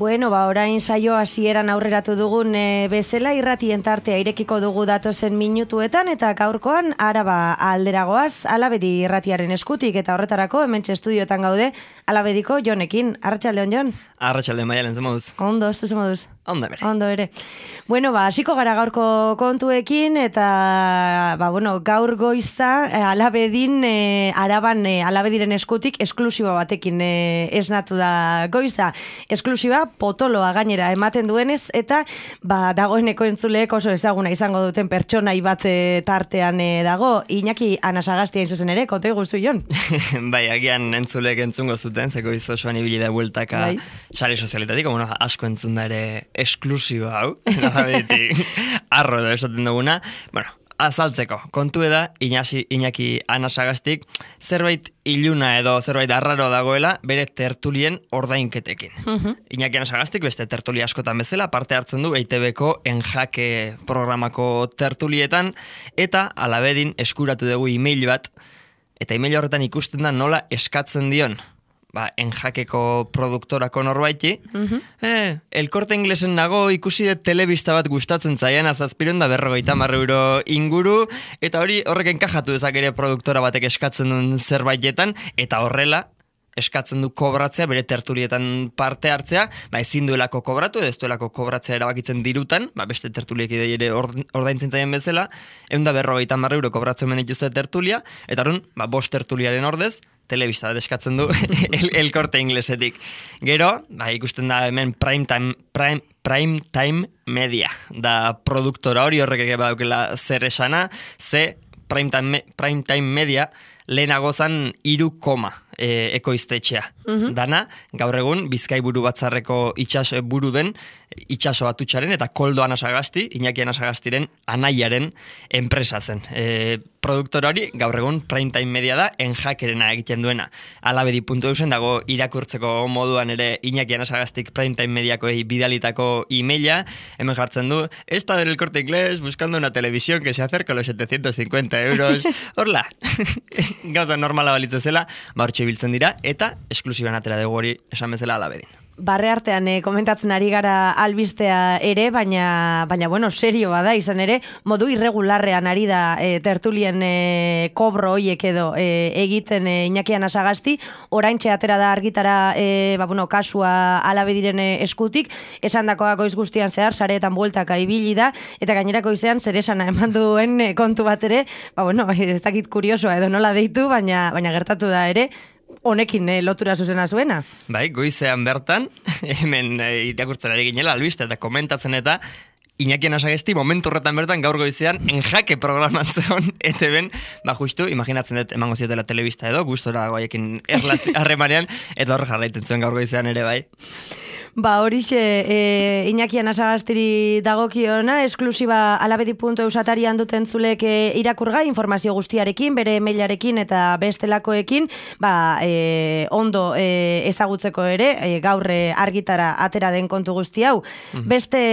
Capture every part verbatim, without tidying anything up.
Bueno, ba, orain saio hasieran aurreratu dugun e, bezala irratien tartea irekiko dugu datozen minutuetan eta gaurkoan Araba alderagoaz Alabedi irratiaren eskutik eta horretarako hementxe estudiotan gaude Alabediko Jonekin. Arratsaldeon, Jon? Arratsaldeon, Maialen, ze moduz? Ondo, ez duzu moduz? Ondo ere. Ondo ere. Bueno, ba, hasiko gara gaurko kontuekin eta ba, bueno, gaur goiza e, Alabedin e, Araban e, Alabediren eskutik esklusiba batekin e, esnatu da goiza. Esklusiba potoloa gainera ematen duenez eta ba, dagoeneko entzuleek oso ezaguna izango duten pertsonai bat tartean e, dago. Iñaki Anasagasti hain zuzen ere, konta iguzu, Jon? Bai, agian entzuleek entzungo zuten, zeko izosoan ibili da bueltaka bai. Sare sozialetatik, bueno, asko entzun da ere esklusiba hau, nabetik, arro da esaten duguna. Bueno, azaltzeko, kontu da, Iñasi, Iñaki Anasagastik, zerbait iluna edo zerbait arraro dagoela bere tertulien ordainketekin. Uh-huh. Iñaki Anasagastik beste tertulia askotan bezala parte hartzen du E I Te Beko Enjake programako tertulietan eta Alabedin eskuratu dugu email bat eta email horretan ikusten da nola eskatzen dion ba, Enjakeko produktorako norbaiti, uh-huh. eh, El Corte Inglesen nago ikusi dut telebista bat gustatzen zaian azazpiron da berrogeita hamar euro inguru, eta hori horrek enkajatu dezak ere produktora batek eskatzen duen zerbaitetan, eta horrela eskatzen du kobratzea, bere tertulietan parte hartzea, ba ezin duelako kobratu, edo ez duelako kobratzea erabakitzen dirutan, ba beste tertuliek idei ere ordaintzen zaien bezala, ehun da berrogeita hamar euro kobratzen ben dituzte tertulia, eta horren, ba bost tertuliaren ordez, telebista bat eskatzen du el, el Corte Inglesetik. Gero, ba, ikusten da hemen prime time, prime, prime time media, da produktora hori horrek ere badaukela zer esana, ze prime time, prime time media lehenago zan iru koma e, ekoiztetxea. Uh-huh. Dana, gaur egun, Bizkai buru batzarreko itxas buru den, itxaso atutxaren eta Koldo Anasagasti, Iñaki Anasagastiren anaiaren enpresa zen. E, produktora hori, gaur egun, prime time media da, Enjakerena egiten duena. Alabedi puntu eusen dago irakurtzeko moduan ere Iñaki Anasagastik prime time mediakoei bidalitako emaila, hemen jartzen du, esta del Corte Inglés buscando una televisión que se acerca a los setecientos cincuenta euros. Horla, gauza normala balitze zela, ba hortxe biltzen dira, eta esklusiban atera dugu hori esan bezala Alabedin. Barre artean eh, komentatzen ari gara albistea ere, baina, baina bueno, serio bada izan ere, modu irregularrean ari da eh, tertulien eh, kobro hoiek edo eh, egiten eh, Iñaki Anasagasti, oraintxe atera da argitara eh, ba, bueno, kasua Alabediren eh, eskutik, esan dakoa goiz guztian zehar, sareetan bueltaka ibili da, eta gainerako izan zer esana eman duen eh, kontu bat ere, ba, bueno, ez dakit kuriosoa edo nola deitu, baina, baina gertatu da ere, honekin eh, lotura zuzena zuena. Bai, goizean bertan, hemen eh, irakurtzen ari ginela, albiste eta komentatzen eta Iñaki Anasagasti momentu horretan bertan gaur goizean Enjake programatzen E Te Ben, ba justu, imaginatzen dut emango ziotela telebista edo, gustora goaiekin erlazi harremanean, eta horre jarraitzen zuen gaur goizean ere bai. Ba, horixe, e, Iñaki Anasagastiri dagokiona, esklusiba alabedi puntu eus atarian duten zulek e, irakurgai, informazio guztiarekin, bere mailarekin eta bestelakoekin, ba, e, ondo e, ezagutzeko ere, e, gaur argitara atera den kontu guzti hau. Mm-hmm. Beste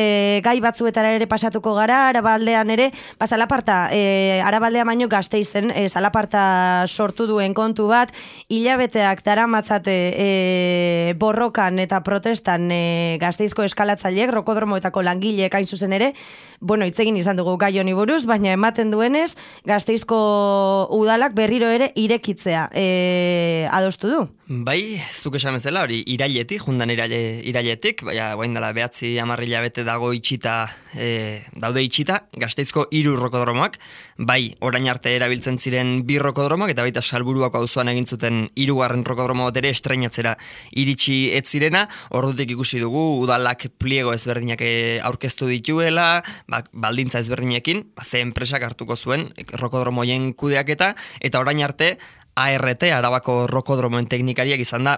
gai batzuetara ere pasatuko gara, Arabaldean ere, ba, Zalaparta, e, Arabaldea baino Gasteizen, e, Zalaparta sortu duen kontu bat, hilabeteak daramatzate e, borrokan eta protestan E, Gasteizko eskalatzaileek, rokodromoetako langileek hain zuzen ere, bueno, itzegin izan dugu gai honi buruz, baina ematen duenez, Gasteizko udalak berriro ere irekitzea e, adostu du. Bai, zuk esan bezala, hori irailetik, jundan iraile, irailetik, baina guain dela behatzi amarrila bete dago itxita, e, daude itxita, Gasteizko hiru rokodromoak, bai, orain arte erabiltzen ziren bi rokodromoak, eta baita Salburuako auzoan egin zuten hirugarren rokodromo bat ere estreinatzera iritsi ez zirena, ordutik ikusi dugu udalak pliego ezberdinak aurkeztu dituela, ba, baldintza ezberdinekin, ba, ze enpresak hartuko zuen rokodromoien kudeaketa, eta orain arte A R T, Arabako rokodromoen teknikariak izan da,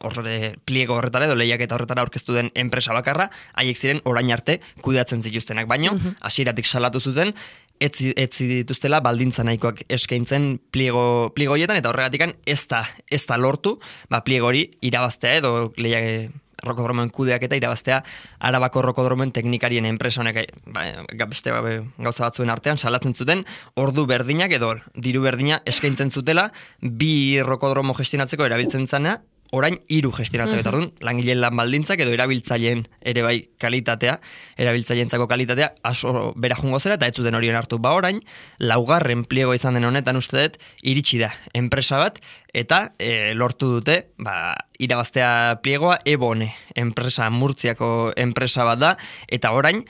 horre, pliego horretara edo lehiaketa horretara aurkeztu den enpresa bakarra, haiek ziren orain arte kudeatzen zituztenak, baino, hasieratik salatu zuten, etzi, etzi dituztela baldintza nahikoak eskaintzen pliego, pliegoietan, eta horregatikan ez da, ez da lortu, ba, pliego hori irabaztea edo lehiak rokodromoen kudeak eta irabaztea Arabako rokodromoen teknikarien enpresa honek ba, beste ba, gauza batzuen artean salatzen zuten ordu berdinak edo diru berdina eskaintzen zutela bi rokodromo gestionatzeko erabiltzen zana orain hiru gestionatzeko eta orduan, langileen lan baldintzak edo erabiltzaileen ere bai kalitatea, erabiltzaileentzako kalitatea aso bera jungo zera eta ez zuten horien hartu. Ba orain, laugarren pliego izan den honetan uste dut, iritsi da enpresa bat eta e, lortu dute, ba, irabaztea pliegoa Ebone, enpresa Murtziako enpresa bat da, eta orain,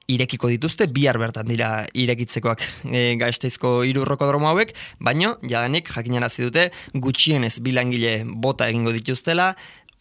irekiko dituzte, bihar bertan dira irekitzekoak e, Gasteizko hiru rokodromo hauek, baino, jadanik jakinarazi dute, gutxienez bilangile bota egingo dituztela,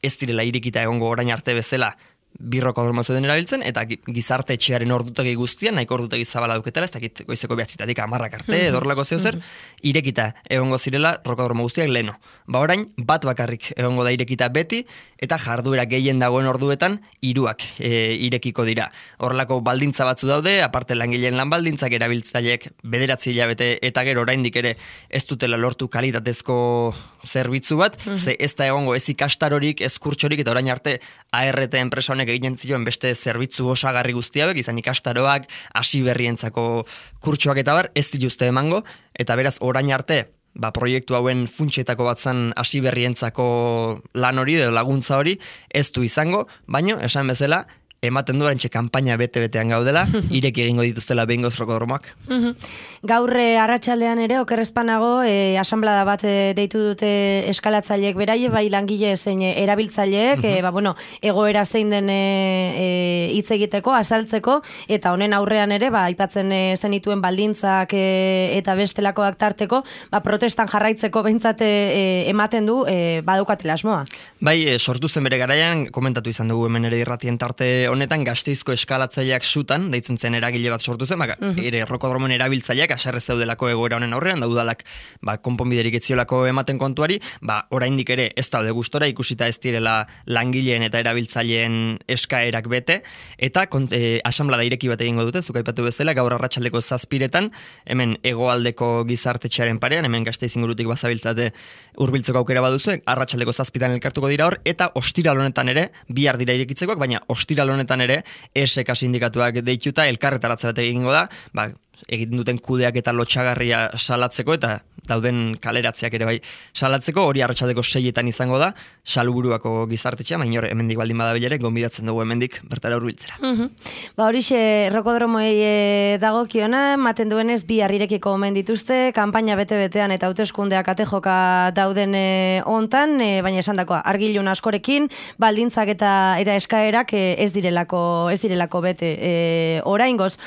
ez direla irekita egongo orain arte bezala, bi rokodromo zeuden erabiltzen, eta gizarte etxearen ordutegi guztian, nahiko ordutegi zabala duketela, ez dakit goizeko behatzitatik amarrak arte, edorlako zeo zer, irekita egongo zirela rokodromo guztiak leno. Ba orain, bat bakarrik egongo da irekita beti, eta jarduera gehien dagoen orduetan, hiruak e, irekiko dira. Horrelako baldintza batzu daude, aparte langileen lan baldintzak erabiltzaileek bederatzi hilabete eta gero oraindik ere ez dutela lortu kalitatezko zerbitzu bat, mm -hmm. ze ez da egongo ez ikastarorik, ez kurtsorik, eta orain arte A R T enpresa honek egiten zioen beste zerbitzu osagarri guztiak, izan ikastaroak, hasi berrientzako kurtsoak eta bar, ez dituzte emango, eta beraz orain arte, ba, proiektu hauen funtsetako bat zan hasi berrientzako lan hori, edo laguntza hori, ez du izango, baino, esan bezala, ematen du arantxe kanpaina bete-betean gaudela, ireki egingo dituztela behingoz rokodromoak. Gaur arratsaldean ere, okerrezpanago, e, asanblada bat e, deitu dute eskalatzaileek beraie, bai langile zein erabiltzaileek, e, ba, bueno, egoera zein den e, hitz egiteko, azaltzeko, eta honen aurrean ere, ba, aipatzen e, zenituen baldintzak e, eta bestelakoak tarteko, ba, protestan jarraitzeko behintzat e, ematen du, e, badukatela asmoa. Bai, e, sortu zen bere garaian, komentatu izan dugu hemen ere irratien tarte honetan Gasteizko eskalatzaileak sutan, deitzen zen eragile bat sortu zen, baka, uh -huh. ere rokodromoen erabiltzaileak aserrez zeudelako egoera honen aurrean, daudalak ba, konponbiderik etziolako ematen kontuari, ba, oraindik ere ez daude gustora, ikusita ez direla langileen eta erabiltzaileen eskaerak bete, eta e, asanblada ireki bat egingo dute, zukaipatu bezala, gaur arratsaldeko zazpiretan, hemen hegoaldeko gizartetxearen parean, hemen Gasteiz ingurutik bazabiltzate hurbiltzeko aukera baduzu, arratsaldeko zazpitan elkartuko dira hor, eta ostiral honetan ere, bihar dira irekitzekoak, baina ostiral honetan ere, E S K sindikatuak deituta, elkarretaratze bat egingo da, ba, egiten duten kudeak eta lotxagarria salatzeko, eta dauden kaleratzeak ere bai salatzeko, hori arratsaldeko seietan izango da, Salburuako gizartetxea, baina hor, hemendik baldin badabilere, gonbidatzen dugu hemendik bertara hurbiltzera. Uh -huh. Ba horixe, rokodromoei e, dagokiona, maten duenez bi harrirekiko omen dituzte, kanpaina bete-betean eta hauteskundeak atejoka dauden e, ontan, e, baina esan dakoa, argilun askorekin, baldintzak eta eta eskaerak e, ez direlako ez direlako bete e, oraingoz.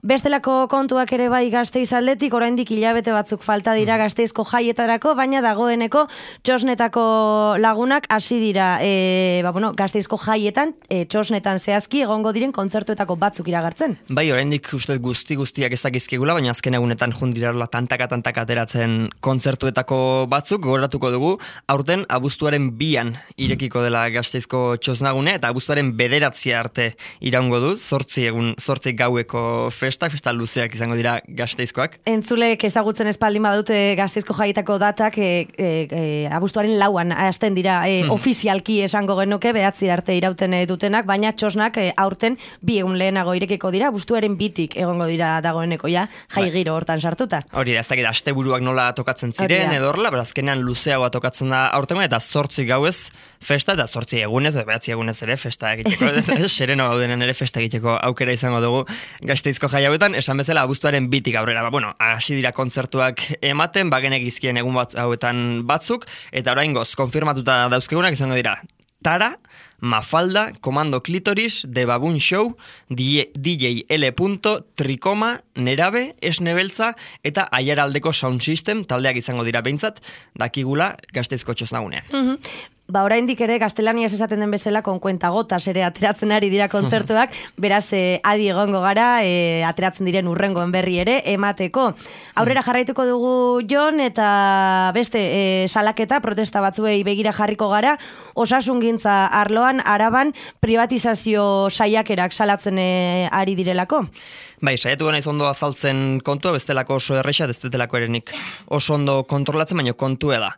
Bestelako kontuak ere bai Gasteiz aldetik, oraindik hilabete batzuk falta dira Gasteizko jaietarako, baina dagoeneko txosnetako lagunak hasi dira e, ba, bueno, Gasteizko jaietan, e, txosnetan zehazki egongo diren kontzertuetako batzuk iragartzen. Bai, oraindik uste guzti guztiak ez dakizkigula, baina azken egunetan jundirarla tantaka-tantaka ateratzen kontzertuetako batzuk, gogoratuko dugu, aurten abuztuaren bian irekiko dela Gasteizko txosnagune, eta abuztuaren bederatzia arte iraungo du, zortzi egun, zortzi gaueko festa, festa luzeak izango dira Gasteizkoak. Entzulek ezagutzen espaldin badute Gasteizko jaietako datak e, e, e, abuztuaren lauan hasten dira e, hmm. ofizialki esango genuke behatzi arte irauten dutenak, baina txosnak e, aurten bi egun lehenago irekiko dira, abuztuaren bitik egongo dira dagoeneko ja, jai giro hortan sartuta. Hori da, ez dakit asteburuak nola tokatzen ziren edo horrela, berazkenean luzeagoa tokatzen da aurtengo, eta zortzi gauez festa, eta zortzi egunez, behatzi egunez ere festa egiteko, sereno gaudenen ere festa egiteko aukera izango dugu Gasteizko jai hauetan, esan bezala abuztuaren bitik aurrera. Ba, bueno, hasi dira kontzertuak ematen, bagenek izkien egun bat, hauetan batzuk, eta oraingoz konfirmatuta dauzkegunak izango dira Tara, Mafalda, Komando Klitoris, The Baboon Show, D J L. Trikoma, Nerabe, Esnebeltza, eta Aiaraldeko Sound System, taldeak izango dira behintzat, dakigula Gasteizko txosnagunean. Mm-hmm. Ba, oraindik ere gaztelaniaz esaten den bezala konkuenta gotas ere ateratzen ari dira kontzertuak, beraz eh, adi egongo gara, eh, ateratzen diren urrengoen berri ere emateko. Aurrera jarraituko dugu Jon, eta beste eh, salaketa, protesta batzuei begira jarriko gara, osasungintza arloan, Araban, privatizazio saiakerak salatzen eh, ari direlako. Bai, saiatu gana izondo azaltzen kontua, bestelako oso errexat, ez detelako erenik oso ondo kontrolatzen, baina kontua da.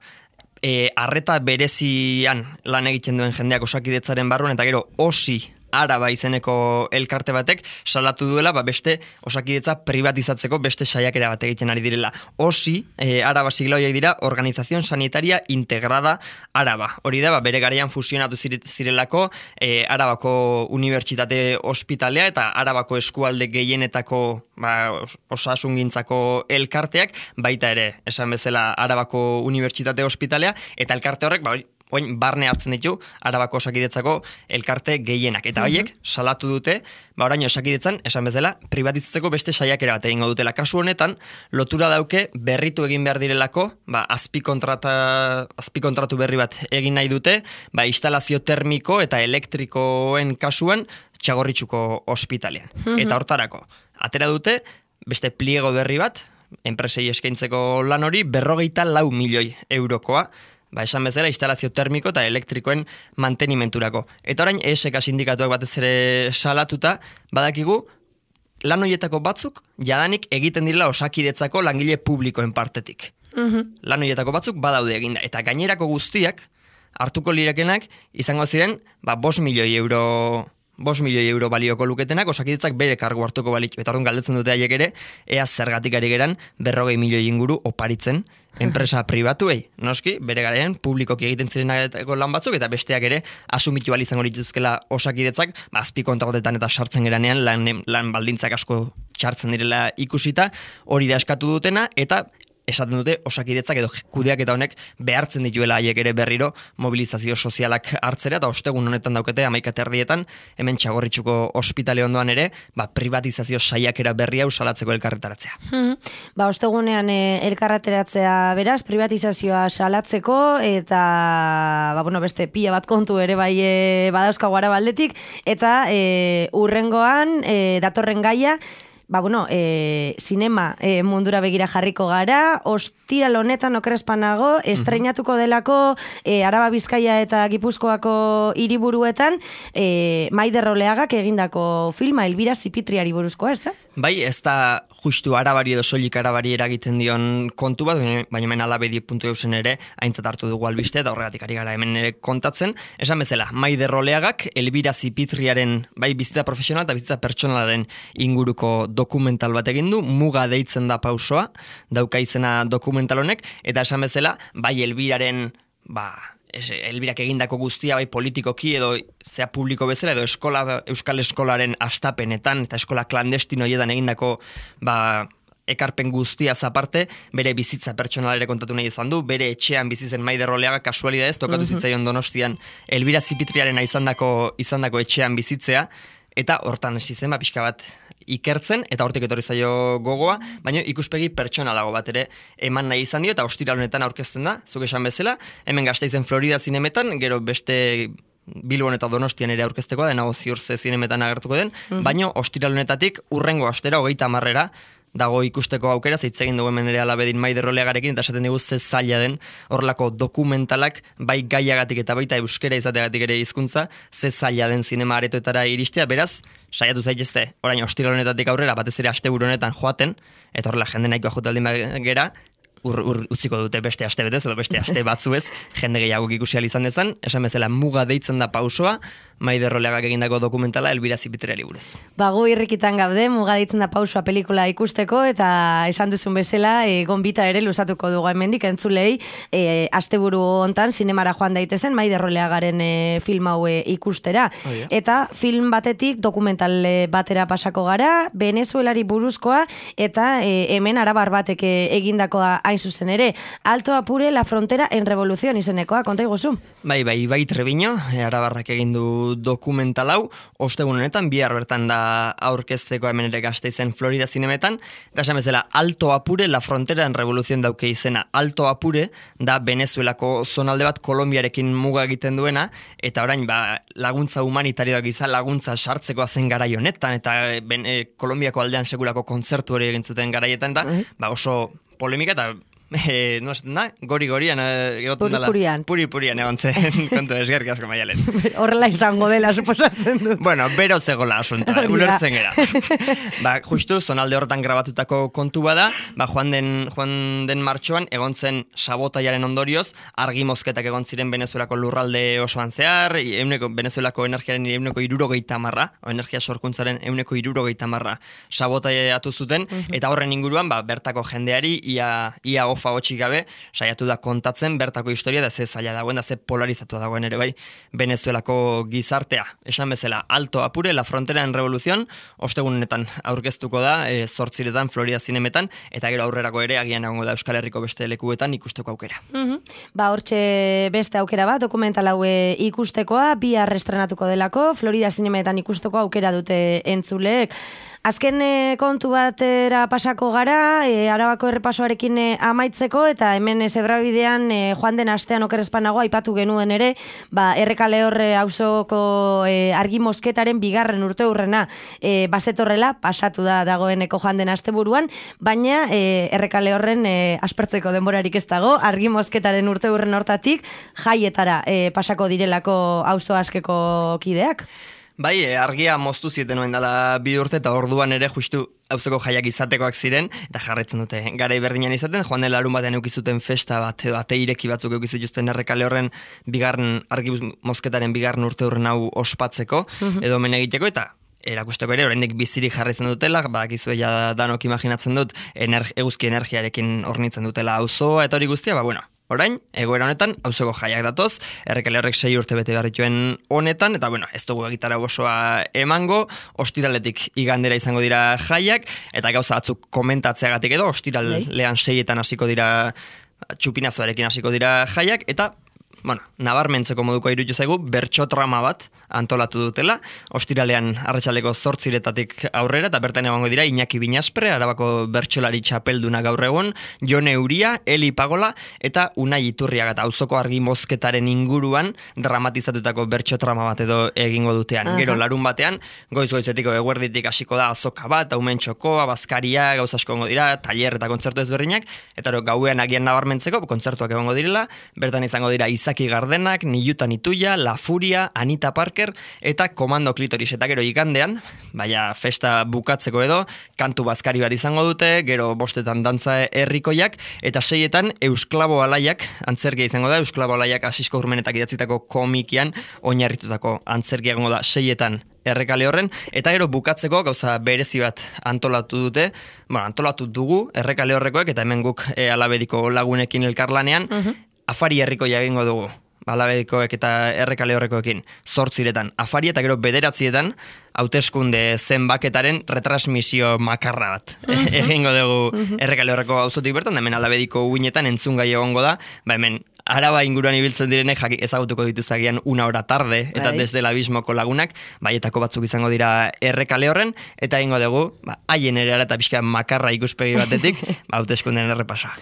E, arreta berezian lan egiten duen jendeak osakidetzaren barruan, eta gero osi Araba izeneko elkarte batek salatu duela, ba beste Osakidetza privatizatzeko beste saiakera bat egiten ari direla. Osi, e, Araba sigla horiek dira, Organización Sanitaria Integrada Araba. Hori da, ba, bere garaian fusionatu zirelako e, Arabako Unibertsitate Ospitalea eta Arabako eskualde gehienetako ba, osasungintzako elkarteak, baita ere, esan bezala Arabako Unibertsitate Ospitalea, eta elkarte horrek, ba, oin, barne hartzen ditu Arabako Osakidetzako elkarte gehienak. Eta horiek salatu dute, ba oraino Osakidetzan, esan bezala, privatizatzeko beste saiakera bat egingo dutela. Kasu honetan, lotura dauke berritu egin behar direlako, ba azpikontrata, azpikontratu berri bat egin nahi dute, ba instalazio termiko eta elektrikoen kasuan Txagorritxuko ospitalean. Mm-hmm. Eta hortarako, atera dute, beste pliego berri bat, enpresei eskaintzeko lan hori, berrogeita lau milioi eurokoa, ba, esan bezala, instalazio termiko eta elektrikoen mantenimenturako. Eta orain, E S K sindikatuak batez ere salatuta, badakigu, lan horietako batzuk, jadanik egiten direla Osakidetzako langile publikoen partetik. Mm-hmm. Lan horietako batzuk badaude eginda. Eta gainerako guztiak, hartuko lirakenak, izango ziren, ba, bost milioi euro... Bos milioi euro balioko luketenak, Osakidetzak bere kargu hartuko balitu. Eta orduan galdetzen dute haiek ere, ea zergatik ari geran berrogei milioi inguru oparitzen enpresa pribatuei. Noski, bere garean publikoki egiten zirenako lan batzuk, eta besteak ere asumitu izango dituzkela Osakidetzak, ba, azpikontratetan eta sartzen geranean lan, lan baldintzak asko txartzen direla ikusita, hori da eskatu dutena, eta esaten dute Osakidetzak edo kudeak eta honek behartzen dituela haiek ere berriro mobilizazio sozialak hartzera, eta ostegun honetan daukete hamaika erdietan hemen Txagorritxuko ospitale ondoan ere, ba, privatizazio saiakera berria usalatzeko elkarretaratzea. Hmm. Ba, ostegunean e, elkarretaratzea beraz, privatizazioa salatzeko, eta ba, bueno, beste pila bat kontu ere bai e, badauzkago Arabaldetik, eta e, urrengoan e, datorren gaia, ba, bueno, e, sinema e, mundura begira jarriko gara, ostiral honetan okerespanago, estreinatuko delako e, Araba Bizkaia eta Gipuzkoako hiriburuetan e, Maider Oleagak egindako filma, Elbira Zipitriari buruzkoa, ez da? Bai, ez da justu Arabari edo soilik Arabari eragiten dion kontu bat, baina hemen alabedi puntu eusen ere aintzat hartu dugu albiste, eta horregatik ari gara hemen ere kontatzen. Esan bezala, Maider Oleagak Elbira Zipitriaren bai bizitza profesional eta bizitza pertsonalaren inguruko dokumental bat egin du, Muga deitzen da pausoa, dauka izena dokumental honek, eta esan bezala, bai Elbiraren, ba, es, Elbirak egindako guztia, bai politikoki edo zea publiko bezala, edo eskola, Euskal Eskolaren astapenetan, eta eskola klandestino hietan egindako, ba, ekarpen guztia aparte, bere bizitza pertsonalere kontatu nahi izan du, bere etxean bizitzen Maider Oleaga kasualidadez, tokatu mm-hmm. zitzaion Donostian Elbira Zipitriaren izandako izandako etxean bizitzea, eta hortan hasi zen, ba, pixka bat ikertzen, eta hortik etorri zaio gogoa, baina ikuspegi pertsonalago bat ere eman nahi izan dio, eta ostiral honetan aurkezten da, zuk esan bezala, hemen Gasteizen Florida zinemetan, gero beste Bilbon eta Donostian ere aurkeztekoa, denago ziur ze zinemetan agertuko den, mm-hmm. baina ostiral honetatik urrengo astera, hogeita hamarrera, dago ikusteko aukera, zeitz egin dugu hemen ere alabedin Maider Oleagarekin, eta esaten dugu ze zaila den horrelako dokumentalak, bai gaiagatik eta baita euskera izateagatik ere hizkuntza, ze zaila den zinema aretoetara iristea, beraz, saiatu zaitezte, orain ostiral honetatik aurrera, batez ere asteburu honetan joaten, eta horrela jende nahikoa jotaldin gera, ur, ur, utziko dute beste aste betez, edo beste aste batzuez, jende gehiago ikusi ahal izan dezan, esan bezala Muga deitzen da pausoa, Maider Oleagak egindako dokumentala Elbira Zipitriari buruz. Ba, gu irrikitan gaude, Muga deitzen da pausoa pelikula ikusteko, eta esan duzun bezala, e, gonbita ere luzatuko dugu hemendik entzulei, e, asteburu hontan sinemara joan daitezen Maider Oleagaren e, film hau ikustera. Oh, yeah. Eta film batetik dokumental batera pasako gara, Venezuelari buruzkoa, eta e, hemen arabar batek egindakoa hain zuzen ere, Alto Apure, la frontera en revolución izenekoa, konta iguzu? Bai, bai, bai Treviño, arabarrak egin du dokumental hau, ostegun honetan, bihar bertan da aurkezteko hemen ere Gasteizen Florida zinemetan, eta esan bezala, Alto Apure, la frontera en revolución dauke izena. Alto Apure da Venezuelako zonalde bat Kolombiarekin muga egiten duena, eta orain ba, laguntza humanitarioak izan laguntza sartzekoa zen garai honetan, eta ben, e, Kolombiako aldean sekulako kontzertu hori egin zuten garaietan da, mm-hmm. ba oso polemika eta E, no, na, gori-gorian egoten dela. Puri-purian. Puri-purian egon zen, kontu esgerrik asko Maialen. Horrela izango dela, suposatzen du. Bueno, bero zegoela asunta, ulertzen gera. Ba, justu, zonalde horretan grabatutako kontu bada, ba, joan den, joan den martxoan, egon zen sabotaiaren ondorioz, argi mozketak egon ziren Venezuelako lurralde osoan zehar, euneko, Venezuelako energiaren euneko irurogeita marra, o energia sorkuntzaren euneko irurogeita marra sabotaiatu zuten, uh-huh. Eta horren inguruan, ba, bertako jendeari, ia, ia ofa hotxik gabe, saiatu da kontatzen bertako historia da ze zaila dagoen, da ze polarizatua dagoen ere bai Venezuelako gizartea. Esan bezala, alto apure, la frontera en revolución, ostegunetan aurkeztuko da, e, zortziretan, Florida zinemetan, eta gero aurrerako ere agian egongo da Euskal Herriko beste lekuetan ikusteko aukera. Uh-huh. Ba, hortxe beste aukera bat, dokumental haue ikustekoa, bihar estrenatuko delako, Florida zinemetan ikusteko aukera dute entzuleek. Azken e, kontu batera pasako gara, e, Arabako errepasoarekin e, amaitzeko, eta hemen e, zebrabidean e, joan den astean okerrezpanago aipatu genuen ere, ba, Errekale horre auzoko e, argi mosketaren bigarren urte hurrena e, bazetorrela, pasatu da dagoeneko joan den asteburuan, baina e, Errekale horren e, aspertzeko denborarik ez dago, argi mosketaren urte hurren hortatik jaietara e, pasako direlako auzo askeko kideak. Bai, argia moztu zieten noen dela bi urte eta orduan ere justu hauzeko jaiak izatekoak ziren, eta jarretzen dute garai berdinean izaten, joan den larun batean eukizuten festa bat, edo ate ireki batzuk eukizituzten Errekale horren bigarren, argi mozketaren bigarren urte horren hau ospatzeko, edo men egiteko, eta erakusteko ere, oraindik bizirik jarritzen dutela, badakizue ja danok imaginatzen dut, energi, eguzki energiarekin hornitzen dutela auzoa eta hori guztia, ba bueno, orain, egoera honetan, auzoko jaiak datoz, Errekale horrek sei urte bete berrituen honetan, eta bueno, ez dugu egitara osoa emango, ostiraletik igandera izango dira jaiak, eta gauza batzuk komentatzeagatik edo, ostiralean seietan hasiko dira, txupinazoarekin hasiko dira jaiak, eta bueno, nabarmentzeko moduko iruditu zaigu, bertsotrama bat antolatu dutela, ostiralean arratsaldeko zortziretatik aurrera, eta bertan egongo dira Iñaki Binaspre, Arabako bertsolari txapelduna gaur egun, Jone Uria, Eli Pagola, eta Unai Iturriaga, eta auzoko argi mozketaren inguruan dramatizatutako bertsotrama bat edo egingo dutean. Aha. Gero larun batean, goiz-goizetiko eguerditik hasiko da azoka bat, aumen txokoa, bazkaria, gauza asko egongo dira, taller eta kontzertu ezberdinak, eta ero, gauean agian nabarmentzeko, kontzertuak egongo direla, bertan izango dira Izaki Gardenak, Nilutan Ituia, La Furia, Anita Parker, eta Komando Klitoris, eta gero igandean, baina festa bukatzeko edo, kantu bazkari bat izango dute, gero bostetan dantza herrikoiak, eta seietan Eusklabo Alaiak, antzerkia izango da, Eusklabo Alaiak Asisko Urmenetak idatzitako komikian, oinarritutako antzerkia egongo da seietan Errekale horren, eta gero bukatzeko gauza berezi bat antolatu dute, bueno, antolatu dugu Errekale horrekoek, eta hemen guk e, Alabediko lagunekin elkarlanean, uh-huh. Afari herrikoia egingo dugu, Alabedikoek eta Errekale horrekoekin, zortziretan afari eta gero bederatzietan, hauteskunde zenbaketaren retransmisio makarra bat. Uh-huh. Egingo dugu uh-huh. Errekale horreko auzotik bertan, hemen Alabediko uinetan entzungai egongo da, ba hemen Araba inguruan ibiltzen direnek jaki ezagutuko dituzagian una hora tarde, eta bai. Desde el abismoko lagunak, baietako batzuk izango dira Errekale horren, eta egingo dugu, ba, haien ere eta pixka makarra ikuspegi batetik, ba, hauteskunden errepasoa.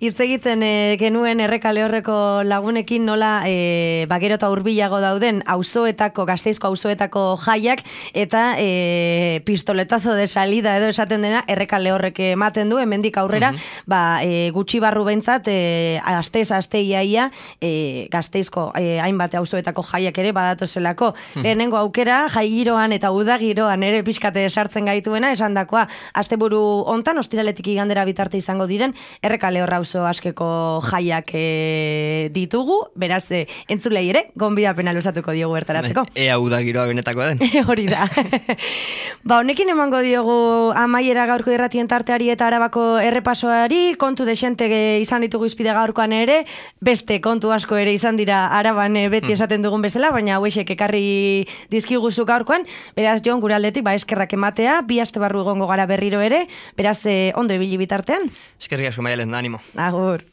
Irtz egiten e, genuen Errekale horreko lagunekin nola e, ba, gero eta hurbilago dauden auzoetako, Gasteizko auzoetako jaiak, eta e, pistoletazo de salida edo esaten dena Errekale horrek ematen du, hemendik aurrera, uh-huh. ba, e, gutxi barru behintzat, e, astez, aste iaia, E, Gasteizko e, hainbat auzoetako jaiak ere badatozelako. Hmm. Lehenengo aukera, jai giroan eta uda giroan ere pixkate sartzen gaituena, esan dakoa, asteburu hontan, ostiraletik igandera bitarte izango diren, Errekale horra auzo askeko jaiak e, ditugu, beraz, e, entzulei ere, gonbidapena luzatuko diogu bertaratzeko. Ea uda giroa benetakoa den. Hori da. Ba, honekin emango diogu amaiera gaurko irratien tarteari eta Arabako errepasoari, kontu desente izan ditugu izpide gaurkoan ere, beste kontu asko ere izan dira Araban beti esaten dugun bezala, baina hauexek ekarri dizkiguzu gaurkoan, beraz Jon gure aldetik ba eskerrak ematea, bi aste barru egongo gara berriro ere, beraz eh, ondo ibili bitartean. Eskerrik asko Maialen, animo. Agur.